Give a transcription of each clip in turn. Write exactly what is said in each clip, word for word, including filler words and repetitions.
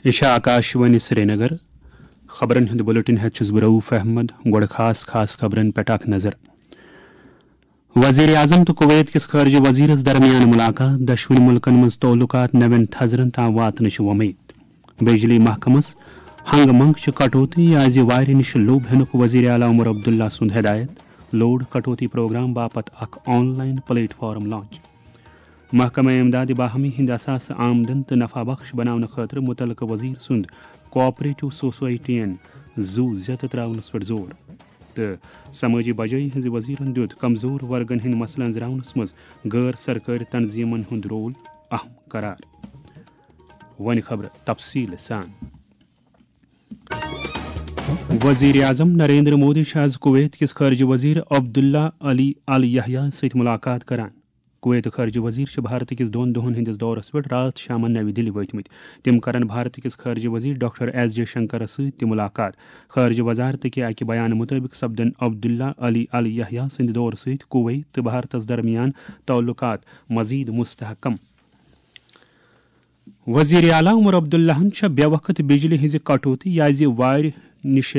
یہِ چھِ آکاشوانی سرینگر۔ خبرن ہُنٛد بلیٹن ہٮ۪تھ چھُس بہٕ رؤف احمد۔ گۄڈٕ خاص خاص خبرن پٮ۪ٹھ اکھ نظر۔ وزیر اعظم تہٕ کویت کِس خارجہ وزیرس درمیان ملاقات، دۄشوٕنی ملکن منٛز تعلقات نوٮ۪ن تھزرن تام واتنٕچ وۄمید۔ بجلی محکمس ہنگہٕ منگہٕ چہِ کٹوتی، یہِ آسہِ وارِ نِش لوٚب ہینُک وزیر اعلیٰ عمر عبداللہ سُنٛد ہدایت۔ لوڈ کٹوتی پروگرام باپتھ اکھ on line plate form launch. محکمہ امداد باہمی ہٕنٛدِ اثاثہٕ آمدن تہٕ نفع بخش بناونہٕ خٲطرٕ متعلقہٕ وزیر سُنٛد کوآپریٹو سوسائٹین زُو زیتہٕ ترٛاونس پٮ۪ٹھ زور۔ تہٕ سمٲجی بجٲیی ہٕنٛزِ وزیرن دیُت کمزور ورگن ہٕنٛدۍ مسلہٕ أنٛزراونس منٛز غٲر سرکٲرۍ تنظیمن ہُنٛد رول اہم قرار۔ وۄنۍ خبرٕ تفصیٖل سان۔ وزیر اعظم نریندر مودی چھُ آز کویت کِس خارجہ وزیر عبداللہ علی ال یحییٰ سۭتۍ ملاقات کران۔ کویت خارجہ وزیر چھِ بھارت کِس دۄن دۄہن ہٕنٛدِس دورس پٮ۪ٹھ راتھ شامن نَوِ دِلہِ وٲتمٕتۍ۔ تِم کرن بھارت کِس خارجہ وزیر ڈاکٹر ایس جے شنکرس سۭتۍ تہِ ملاقات۔ خارجہ وزارت کہِ اکہِ بیان مُطٲبِق سپدن عبداللہ علی ال یحییٰ سٕنٛدِ دورٕ سۭتۍ کویت تہٕ بھارتس درمیان تعلقات مزید مستحکم۔ وزیر اعلیٰ عمر عبداللہن چھےٚ بے وقت بجلی ہٕنٛزِ کٹوتی یا زِ وارِ نِش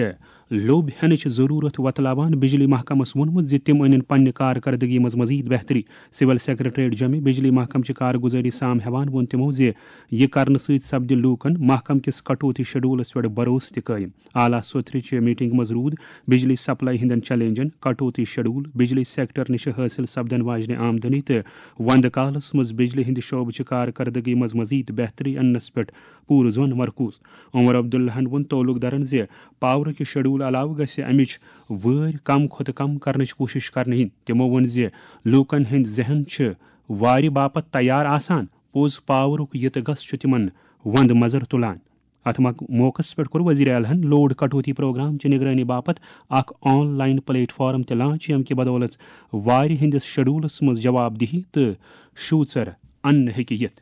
لوٚب ہینٕچ ضروٗرت وۄتلاوان بجلی محکمس ووٚنمُت زِ تِم أنِن پننہِ کارکردگی منٛز مزید بہتری۔ سول سیکرٹریٹ جوٚمہِ بجلی محکمہٕ چہِ کارگُزٲری سام ہٮ۪وان ووٚن تِمو زِ یہِ کرنہٕ سۭتۍ سپدِ لوٗکن محکمہٕ کِس کٹوتی شیڈولس پٮ۪ٹھ بھروسہٕ تہِ قٲیِم۔ اعلیٰ سوتھرِ چہِ میٹنگ منٛز روٗد بجلی سپلائی ہٕنٛدٮ۪ن چیلنجن، کٹوتی شیڈول، بجلی سیکٹر نِش حٲصِل سپدن واجنہِ آمدنی تہٕ وندٕ کالس منٛز بجلی ہٕنٛدِ شعبہٕ چہِ کارکردگی منٛز مزید بہتری اننس پٮ۪ٹھ پوٗرٕ زون مرکوز۔ عمر عبداللہن ووٚن تعلقدارن زِ پاورٕکہِ شیڈول علاوٕ گژھِ امِچ وٲرۍ کم کھۄتہٕ کم کرنٕچ کوٗشش کرنہٕ یِنۍ۔ تِمو ووٚن زِ لوٗکن ہٕنٛدۍ ذہن چھِ وارِ باپتھ تیار آسان، پوٚز پاورُک یہِ تہٕ گس چھُ تِمن وندٕ مزر تُلان۔ اتھ مق-، موقعس پٮ۪ٹھ کوٚر وزیر اعلیٰ ہن لوڈ کٹوتی پروگرام چہِ نگرٲنی باپتھ اکھ آن لائن پلیٹ فارم تہِ لانچ، ییٚمہِ کہِ بدولژ وارِ ہٕنٛدِس شیڈولس منٛز جواب دہی تہٕ شوٗژر اننہٕ ہیٚکہِ یِتھ۔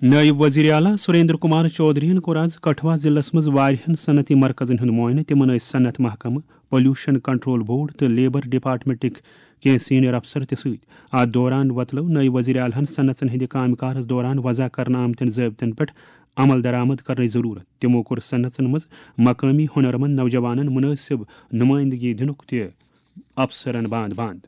نٲیِب وزیر اعلیٰ سریندر کمار چودھرین کوٚر آز کٹھوا ضلعس منٛز واریاہن صنعتی مرکزن ہُنٛد معائنہٕ۔ تِمن ٲسۍ صنعت محکمہٕ، پولیوشن کنٹرول بورڈ تہٕ لیبر ڈپارٹمنٹٕکۍ کینٛہہ سینئر افسر تہِ سۭتۍ۔ اتھ دوران وۄتلٲو نٲیِب وزیر اعلیٰ ہن صنعژن ہٕنٛدِ کامہِ کارس دوران وضع کرنہٕ آمتٮ۪ن ضٲبطن پٮ۪ٹھ عمل درآمد کرنٕچ ضروٗرت۔ تِمو کوٚر صنعژن منٛز مقٲمی ہُنرمند نوجوانن مُنٲسِب نُمٲیندگی دِنُک تہِ افسرن باند باند۔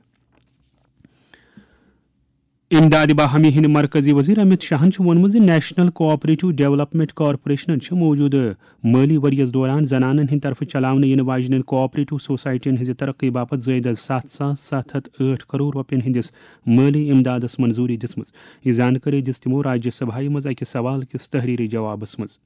امداد باہمی ہٕنٛدۍ مرکزی وزیر امت شاہن چھُ ووٚنمُت زِ نیشنل کوآپریٹو ڈیولپمنٹ کارپوریشنن چھِ موٗجوٗدٕ مٲلی ؤرۍ یَس دوران زنانن ہٕنٛدِ طرفہٕ چلاونہٕ یِنہٕ واجنٮ۪ن کوآپریٹو سوسائٹین ہٕنٛزِ ترقی باپتھ زٲیدٕ ستھ ساس ستھ ہتھ ٲٹھ کرور رۄپین ہٕنٛدِس مٲلی امدادس منظوٗری دِژمٕژ۔ یہِ زانکٲری دِژ تِمو راجیہ سبھایہ منٛز أکِس سوال کِس تحریری جوابس منٛز۔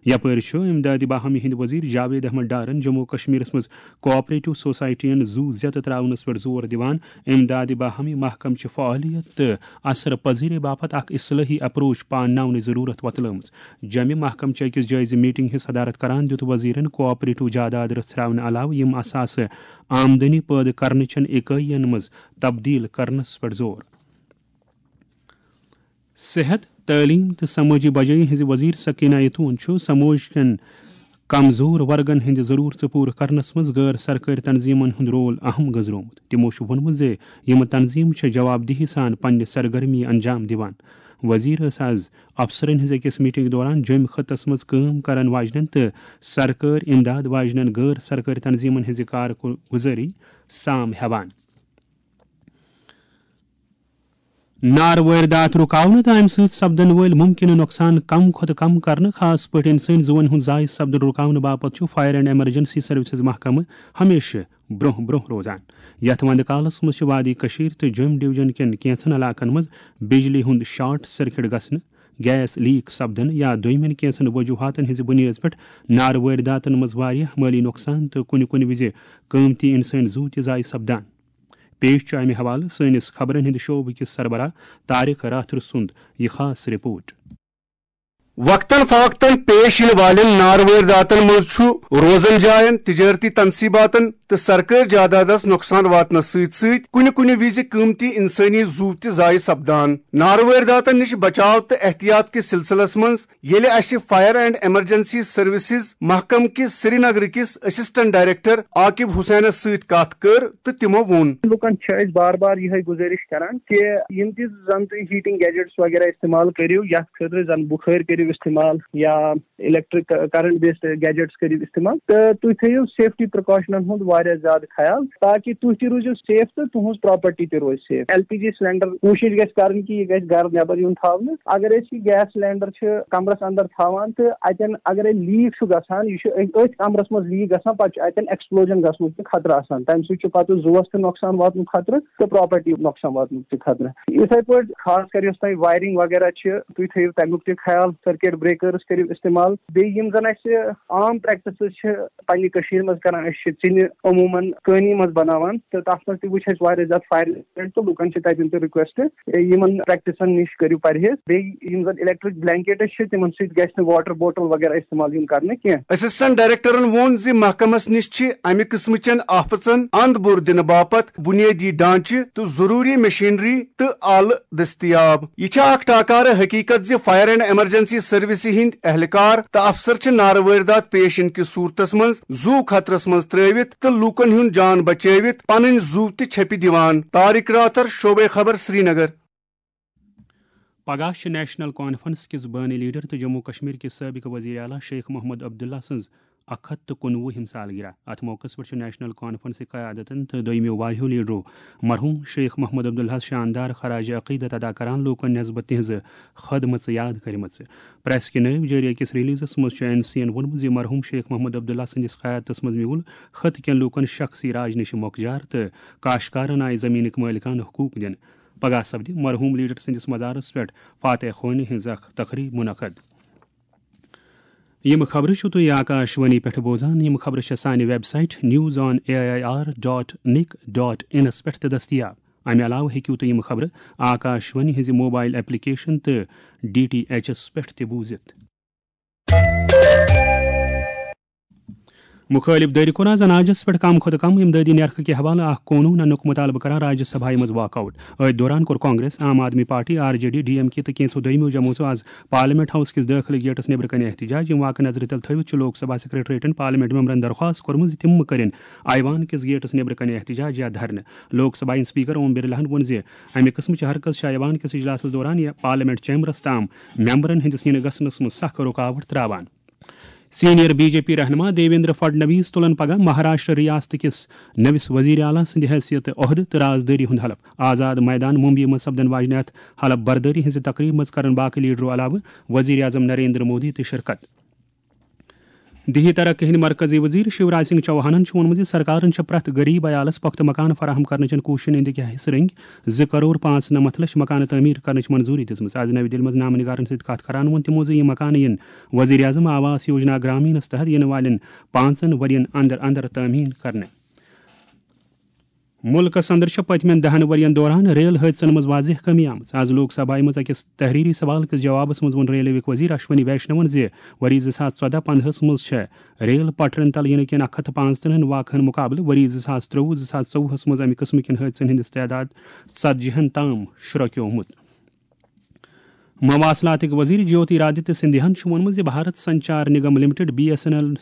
یپٲرۍ چھُ امدادِ باہمی ہٕنٛدۍ وزیر جاوید احمد ڈارن جموں و کشمیرس منٛز کوآپریٹو سوسائٹین زُو زیتہٕ ترٛاونس پٮ۪ٹھ زور دِوان۔ امدادِ باہمی محکمہٕ چہِ فعالیت تہٕ اثر پذیری باپتھ اکھ اصلاحی اپروچ پانناونٕچ ضروٗرت وۄتلٲومٕژ۔ جوٚمہِ محکمہٕ چہِ أکِس جٲیزٕ میٹنگ ہٕنٛز صدارت کران دِیُت وزیرن کوآپریٹو جاداد رژھراونہٕ علاوٕ یِم اثاثہٕ آمدنی پٲدٕ کرنہٕ چٮ۪ن اکٲین منٛز تبدیل کرنس پٮ۪ٹھ زور۔ صحت، تعلیٖم تہٕ سمٲجی بجٲیی ہٕنٛزِ وزیر سکینہ یتون چھُ سماج کٮ۪ن کمزور ورگن ہٕنٛدِ ضرورژٕ پوٗرٕ کرنس منٛز غٲر سرکٲرۍ تنظیمن ہُنٛد رول اہم گٔنٛزرومُت۔ تِمو چھُ ووٚنمُت زِ یِم تنظیمہٕ چھِ جواب دہی سان پننہِ سرگرمی انجام دِوان۔ وزیر ٲس از افسرن ہٕنٛز أکِس میٹنگ دوران جوٚمۍ خطس منٛز کٲم کرن واجنٮ۪ن تہٕ سرکٲرۍ امداد واجنٮ۪ن غٲر سرکٲرۍ تنظیمن ہٕنٛزِ کارگُزٲری سام ہٮ۪وان۔ نار وٲرۍ داتھ رُکاونہٕ تہٕ اَمہِ سۭتۍ سپدن وٲلۍ مُمکِنہٕ نۄقصان کم کھۄتہٕ کم کرنہٕ، خاص پٲٹھۍ اِنسٲنی زُوَن ہُنٛد ضایع سپدُن رُکاونہٕ باپتھ چھُ فائر اینڈ ایمرجنسی سروسز محکمہٕ ہمیشہٕ برٛونٛہہ برٛونٛہہ روزان۔ یَتھ وَندٕ کالَس منٛز چھِ وادی کٔشیٖر تہٕ جوٚم ڈویژن کٮ۪ن کینٛژن علاقن منٛز بجلی ہُنٛد شارٹ سرکٹ گژھنہٕ، گیس لیک سپدنہٕ یا دوٚیمٮ۪ن کینٛژن وجوہاتن ہٕنٛزِ بُنیٲدِ پٮ۪ٹھ نار وٲرۍ داتن منٛز واریاہ مٲلی نۄقصان تہٕ کُنہِ کُنہِ وِزِ قۭمتی اِنسٲنی زُو تہِ ضایع سپدان۔ پیش چھُ اَمہِ حوالہٕ سٲنِس خبرن ہٕنٛدِ شعبہٕ کِس سربراہ طارق راتھر سُنٛد یہِ خاص رپورٹ۔ وقتاً فوقتاً پیش یِنہٕ والٮ۪ن نارٕ وٲرۍ داتن منٛز چھُ روزن جاین، تجٲرتی تنصیباتن تہٕ سرکٲرۍ جادادس نۄقصان واتنس سۭتۍ سۭتۍ کُنہِ کُنہِ وِزِ قۭمتی انسٲنی زُو تہِ ضایع سپدان۔ نارٕ وٲرۍ داتن نِش بچاو تہٕ احتیاط کِس سلسلس منٛز ییٚلہِ اسہِ فائر اینڈ ایمرجنسی سروسز محکمہٕ کِس سرینگر کِس اسسٹنٹ ڈائریکٹر عاقب حسینس سۭتۍ کتھ کٔر تہٕ تِمو ووٚن۔ لُکن چھِ أسۍ بار بار یِہے گُزٲرِش کران کہِ یِم تہِ زن تُہۍ ہیٹنگ گیجٹس وغیرہ استعمال کٔرِو، یتھ خٲطرٕ زن بُخٲرۍ کٔرِو استعمال یا electric current based gadgets کٔرِو استعمال، تہٕ تُہۍ تھٲیِو سیفٹی پریکاشنن ہُنٛد واریاہ زیادٕ خیال، تاکہِ تُہۍ تہِ روٗزِو سیف تہٕ تُہٕنٛز پراپرٹی تہِ روزِ safe. L P G cylinder کوٗشِش گژھِ کرٕنۍ کہِ یہِ گژھِ گرٕ نٮ۪بر یُن تھاونہٕ۔ اگر أسۍ یہِ گیس سلینڈر چھِ کمرس اندر تھاوان تہٕ اتٮ۪ن اگر لیٖک چھُ گژھان، یہِ چھُ أتھۍ کمرس منٛز لیٖک گژھان، پتہٕ چھُ اتٮ۪ن ایکسپلوجن گژھنُک تہِ خطرٕ آسان، تمہِ سۭتۍ چھُ پتہٕ زُوس تہِ نۄقصان واتنُک خطرٕ تہٕ پراپرٹی نۄقصان واتنُک تہِ خطرٕ۔ یِتھے پٲٹھۍ خاص کر یۄس تۄہہِ وایرنگ وغیرہ چھِ، تُہۍ تھٲیِو تمیُک تہِ خیال، سرکٹ بریکرز کٔرِو استعمال۔ بیٚیہِ یِم زن اسہِ عام پریکٹسز چھِ پننہِ کٔشیٖرِ منٛز کران، أسۍ چھِ ژِنہِ عموٗماً کٲنی منٛز بناوان تہٕ تتھ منٛز تہِ وٕچھ اسہِ واریاہ زیادٕ فائر انسیڈنٹ تہٕ لُکن چھِ تتٮ۪ن تہِ ریکویسٹ، یِمن پریکٹسن نِش کٔرِو پرہیز۔ بیٚیہِ یِم زن electric blankets چھِ، تِمن سۭتۍ گژھِ نہٕ واٹر بوٹل وغیرہ استعمال یُن کرنہٕ کینٛہہ۔ اسسٹنٹ ڈائریکٹرن ووٚن زِ محکمس نِش چھِ امہِ قٕسمٕچٮ۪ن آفژن اند بُر دِنہٕ باپتھ بُنیٲدی ڈھانچہٕ تہٕ ضروٗری مشینری تہٕ آلہٕ دٔستیاب۔ یہِ چھےٚ اکھ ٹاکارٕ حقیقت زِ فائر اینڈ ایمرجنسی سروسہِ ہٕنٛدۍ اہلکار تہٕ افسر چھِ نارٕ وٲرۍ داتھ پیش یِنہٕ کِس صورتس منٛز زُو خطرس منٛز ترٲوِتھ تہٕ لوٗکن ہُنٛد جان بچٲوِتھ پنٕنۍ زُو تہِ چھپہِ دِوان۔ طارق راتھر، شعبے خبر، سرینگر۔ پگاہ چھِ نیشنل کانفرنس کِس بٲنی لیڈر تہٕ جموں کشمیر کِس سٲبقہٕ وزیر اعلیٰ شیخ محمد عبداللہ سٕنٛز اکھ ہتھ تہٕ کُنوُہِم سالگرہ۔ اتھ موقعس پٮ۪ٹھ چھُ نیشنل کانفرنسٕکۍ قیادتن تہٕ دوٚیمِیو واریاہو لیڈرو مرحوم شیخ محمد عبداللہس شاندار خراج عقیدت ادا کران، لوٗکن نسبت تِہنٛزٕ خدمژٕ یاد کٔرمٕژ۔ پریس کہِ نٲوۍ جٲری أکِس ریلیزس منٛز چھُ این سی ین ووٚنمُت زِ مرحوم شیخ محمد عبداللہ سٕنٛدِس قیادتس منٛز میوٗل خطہٕ کٮ۪ن لوٗکن شخصی راج نِش مۄکجار تہٕ کاشتکارن آیہِ زٔمیٖنٕکۍ مٲلکانہٕ حقوٗق دِنہٕ۔ پگاہ سپدِ مرحوم لیڈر سٕنٛدِس مزارس پٮ۪ٹھ فاتح خوانی ہٕنٛز اکھ تقریب منعقد۔ یِم خبرٕ چھِو تُہۍ آکاش وانی پٮ۪ٹھ بوزان۔ یِم خبرٕ چھِ سانہِ website news on A I R dot nic dot انس پٮ۪ٹھ تہِ دٔستیاب۔ اَمہِ علاوٕ ہیٚکِو تُہۍ یِم خبرٕ آکاش وانی ہٕنٛزِ موبائل ایپلیکیشن تہٕ ڈی ٹی ایچ ایس پٮ۪ٹھ تہِ بوٗزِتھ۔ مُخٲلِف دٲیرٕ کوٚر آز اناجس پٮ۪ٹھ کم کھۄتہٕ کم امدادی نرخہٕ کہِ حوالہٕ اکھ قونوٗن اننُک مُطالبہٕ کران راجیہ سبھایہ منٛز واک آؤٹ۔ أتھۍ دوران کوٚر Congress, Aam Aadmi party, R J D, D M K تہٕ کینٛژھو دوٚیمِیو جمٲژو آز پارلیمنٹ ہاوس کِس دٲخلہٕ گیٹس نیبرٕ کنہِ احتجاج۔ یِم واقعہٕ نظرِ تل تھٲوِتھ چھُ لوک سبھا سیکرٹریٹن پارلیمنٹ ممبرن درخواست کٔرمٕژ زِ تِم مہٕ کٔرِن ایوان کِس گیٹس نیبرٕ کنہِ احتجاج یا دھرنہٕ۔ لوک سبھا ہٕنٛدۍ اسپیکر اوم برلاہن ووٚن زِ امہِ قٕسمٕچہِ ہر کٲنٛسہِ چھِ ایوان کِس اجلاسس دوران یا پارلیمنٹ چیمبرس تام ممبرن ہٕنٛدِس یِنہٕ گژھنس منٛز سخ رُکاوٹ تراوان۔ سینئر بی جے پی رہنما دیویندر فڈنویس تُلن پگاہ مہاراشٹر ریاست کِس نٔوِس وزیر اعلیٰ سٕنٛدِ حیثیت عہدٕ تہٕ رازدٲری ہُنٛد حلف۔ آزاد میدان ممبئی منٛز سپدن واجنہِ اتھ حلف بردٲری ہٕنٛزِ تقریبہِ منٛز کرن باقٕے لیڈرو علاوٕ وزیر اعظم نریندر مودی تہِ شرکت۔ دیہی ترقی ہٕنٛدۍ مرکزی وزیر شیوراج سنگھ چوہانن چھُ ووٚنمُت زِ سرکارن چھِ پرٛٮ۪تھ غریب عیالس پۄختہٕ مکان فراہم کرنٕچن کوٗششن ہٕنٛدِ کیٛاہ حصہٕ رٔنگۍ۔ زٕ کرور پانٛژھ نمتھ لچھ مکانہٕ تعمیٖر کرنٕچ منظوٗری دِژمٕژ۔ از نَوِ دِلہِ منٛز نامہٕ نگارن سۭتۍ کتھ کران ووٚن تِمو زِ یِم مکانہٕ یِن وزیر اعظم آواس یوجنا گرامینس تحت یِنہٕ والٮ۪ن پانٛژن ؤرین اندر اندر تعمیٖر کرنہٕ۔ مُلکس اندر چھِ پٔتمٮ۪ن دَہن ؤرین دوران ریل حٲدثن منٛز واضح کٔمی آمٕژ۔ از لوک سبھایہ منٛز أکِس تحریری سوال کِس جوابس منٛز ووٚن ریلویُک وزیر اشونی ویشنون زِ ؤری زٕ ساس ژۄدہ پندہس منٛز چھےٚ ریل پٹرین تل یِنہٕ کِنۍ اکھ ہتھ تہٕ پانٛژترٕہن واقعن مقابلہٕ ؤری زٕ ساس ترٛۆوُہ زٕ ساس ژوٚوُہس منٛز امہِ قٕسمٕکٮ۪ن حٲدثن ہٕنٛدِس تعداد ژتجی ہن تام شرٛوکیومُت۔ مواصلاتٕکۍ وزیر جیوتی رادتیہ سندھیاہن چھُ ووٚنمُت زِ Bharat Sanchar Nigam limited, B S N L,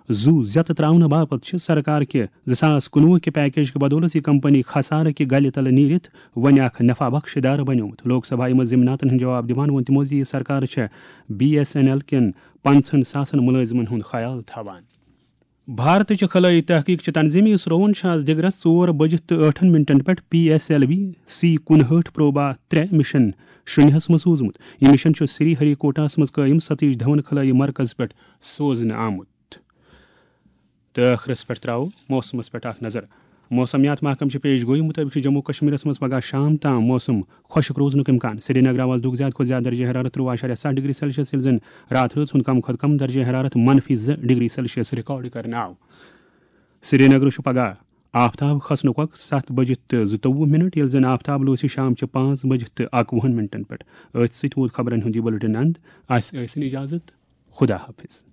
زُو زیتہٕ تراونہٕ باپتھ چھِ سرکار کہِ زٕ ساس کُنوُہ کہِ پیکیج کہِ بدولس یہِ کمپنی خسارٕ کہِ گلہِ تلہٕ نیٖرِتھ وۄنۍ اکھ نفع بخش ادارٕ بنیومُت۔ لوک سبھایہ منٛز ضمناتن ہُنٛد جواب دِوان ووٚن تِمو زِ یہِ سرکار چھےٚ بی ایس این ایل کٮ۪ن پانٛژہن ساسن مُلٲزمن ہُنٛد خیال تھاوان۔ بھارتٕچہِ خلٲیی تحقیق چہِ تنظیٖم اسروہن چھُ آز دِگرس ژور بجِتھ تہٕ ٲٹھن منٹن پٮ۪ٹھ P S L V C کُنہٲٹھ پروبا ترٛےٚ مِشن شُنیہس منٛز سوٗزمُت۔ یہِ مِشن چھُ سری ہری کوٹاہس منٛز قٲیِم ستیش دھون خلٲیی مرکز پٮ۪ٹھ سوزنہٕ آمُت۔ تہٕ ٲخرس پٮ۪ٹھ ترٛاوو موسمس پٮ۪ٹھ اکھ نظر۔ موسمیات محکمہٕ چہِ پیش گویی مُطٲبِق چھُ جموں کشمیرس منٛز پگاہ شام تام موسم خۄشک روزنُک امکان۔ سرینگر آو آز دُہُک زیادٕ کھۄتہٕ زیادٕ درجہ حرارت ترٛۆوُہ اعشاریہ ستھ ڈگری سیلسیس، ییٚلہِ زن راتھ رٲژ ہُنٛد کم کھۄتہٕ کم درجہ حرارت منفی زٕ ڈگری سیلسیس ریکارڈ کرنہٕ آو۔ سرینگرٕ چھُ پگاہ آفتاب کھسنُک وقت ستھ بجِتھ تہٕ زٕتووُہ منٹ، ییٚلہِ زن آفتاب لوسہِ شام چہِ پانٛژھ بجِتھ تہٕ اکوُہن منٹن پٮ۪ٹھ۔ أتھۍ سۭتۍ ووت خبرن ہُنٛد یہِ بُلٹن اند۔ اسہِ ٲسِن اجازت۔ خدا حافظ۔